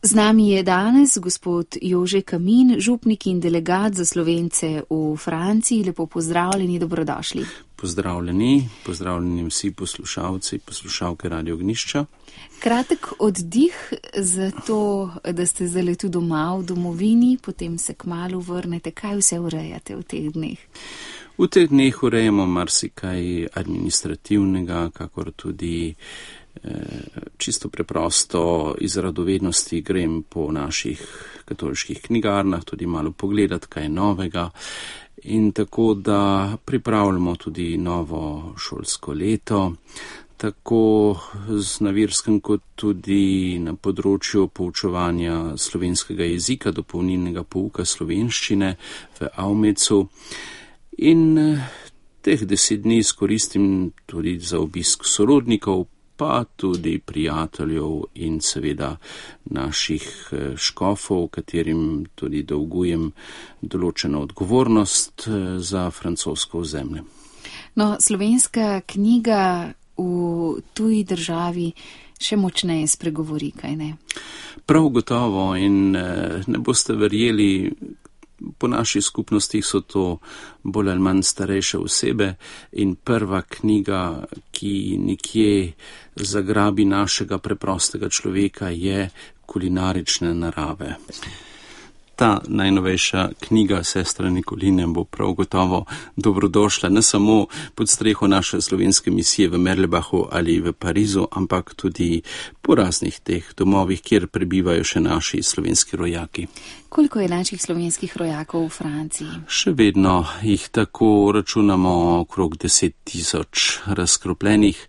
Z nami je danes gospod Jože Kamin, župnik in delegat za Slovence v Franciji. Lepo pozdravljeni, dobrodošli. Pozdravljeni vsi poslušalci, poslušalke Radio Ognjišča. Kratek oddih za to, da ste zdaj tu doma v domovini, potem se kmalu vrnete. Kaj vse urejate v teh dneh? V teh dneh urejamo marsikaj administrativnega, kakor tudi čisto preprosto iz radovednosti grem po naših katoliških knjigarnah, tudi malo pogledati, kaj je novega. In tako, da pripravljamo tudi novo šolsko leto, tako na verskem kot tudi na področju poučevanja slovenskega jezika, dopolnilnega pouka slovenščine v Avmecu. In teh 10 dni izkoristim tudi za obisk sorodnikov, pa tudi prijateljev in seveda naših škofov, katerim tudi dolgujem določeno odgovornost za francosko ozemlje. No, slovenska knjiga v tuji državi še močneje spregovori, kaj ne? Prav gotovo in ne boste verjeli, po naših skupnostih so to bolj ali manj starejše osebe in prva knjiga, ki nekje zagrabi našega preprostega človeka, je kulinarične narave. Ta najnovejša knjiga Sestra Nikoline bo prav gotovo dobrodošla ne samo pod streho naše slovenske misije v Merlebachu ali v Parizu, ampak tudi po raznih teh domovih, kjer prebivajo še naši slovenski rojaki. Koliko je naših slovenskih rojakov v Franciji? Še vedno jih tako računamo okrog 10 000 razkropljenih.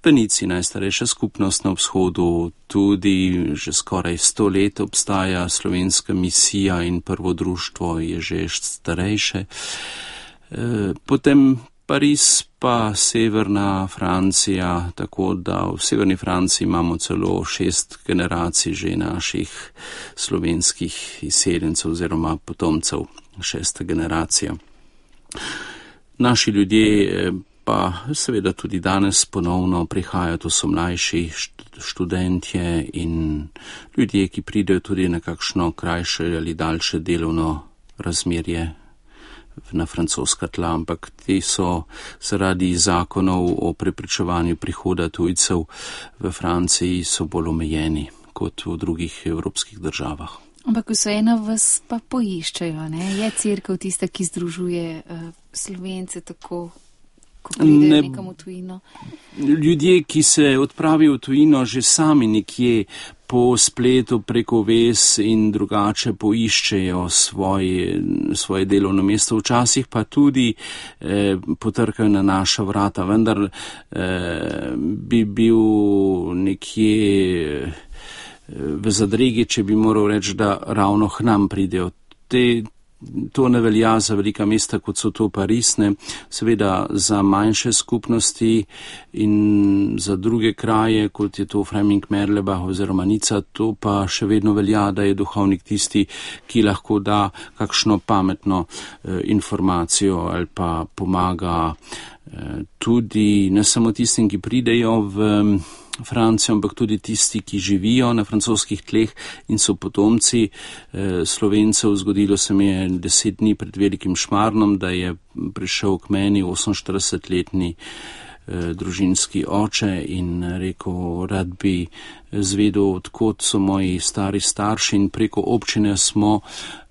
V Nici, najstarejša skupnost na vzhodu, tudi že skoraj 100 let obstaja slovenska misija in prvo društvo je že starejše. Potem Pariz pa severna Francija, tako da v severni Franciji imamo celo 6 generacij že naših slovenskih izseljencev oziroma potomcev, 6. generacija. Naši ljudje pa seveda tudi danes ponovno prihajajo, to so mlajši študentje in ljudje, ki pridejo tudi na kakšno krajše ali daljše delovno razmerje na francoska tla, ampak ti so zaradi zakonov o preprečevanju prihoda tujcev v Franciji so bolj omejeni kot v drugih evropskih državah. Ampak vseeno vas pa poiščejo, ne? Je cerkev tista, ki združuje Slovence tako, ko pridejo nekam v tujino? Ljudje, ki se odpravijo v tujino, že sami nekje po spletu preko vez in drugače poiščejo svoje delovno mesto, včasih pa tudi potrkajo na naša vrata, vendar bi bil nekje v zadregi, če bi moral reči, da ravno k nam pridejo. To ne velja za velika mesta, kot so to Parisne, seveda za manjše skupnosti in za druge kraje, kot je to Freiberg-Merlebach oziroma Nica, to pa še vedno velja, da je duhovnik tisti, ki lahko da kakšno pametno informacijo ali pa pomaga tudi ne samo tistim, ki pridejo v Francijo, ampak tudi tisti, ki živijo na francoskih tleh in so potomci Slovencev. Zgodilo se mi je 10 dni pred velikim Šmarnom, da je prišel k meni 48-letni družinski oče in rekel, rad bi zvedel, odkot so moji stari starši, in preko občine smo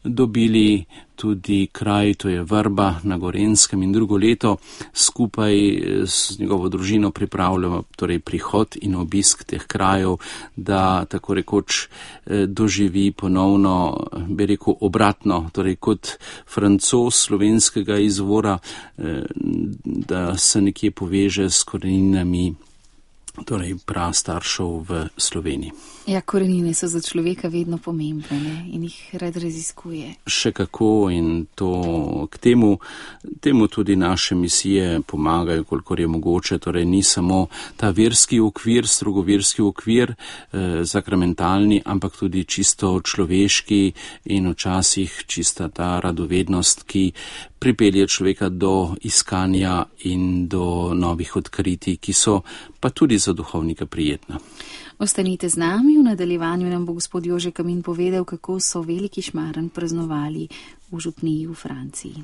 dobili tudi kraj, to je Vrba na Gorenjskem, in drugo leto skupaj s njegovo družino pripravljamo torej prihod in obisk teh krajev, da tako rekoč doživi ponovno, bi rekel, obratno, torej kot Francoz slovenskega izvora, da se nekje poveže s koreninami, torej prastaršev v Sloveniji. Ja, korenine so za človeka vedno pomembne, ne? In jih rad raziskuje. Še kako, in to k temu tudi naše misije pomagajo, kolikor je mogoče, torej ni samo ta verski okvir, strogoverski okvir, sakramentalni, ampak tudi čisto človeški in včasih čista ta radovednost, ki pripelje človeka do iskanja in do novih odkritij, ki so pa tudi za duhovnika prijetna. Ostanite z nami, v nadaljevanju nam bo gospod Jože Kamin povedal, kako so veliki šmaren praznovali v župniji v Franciji.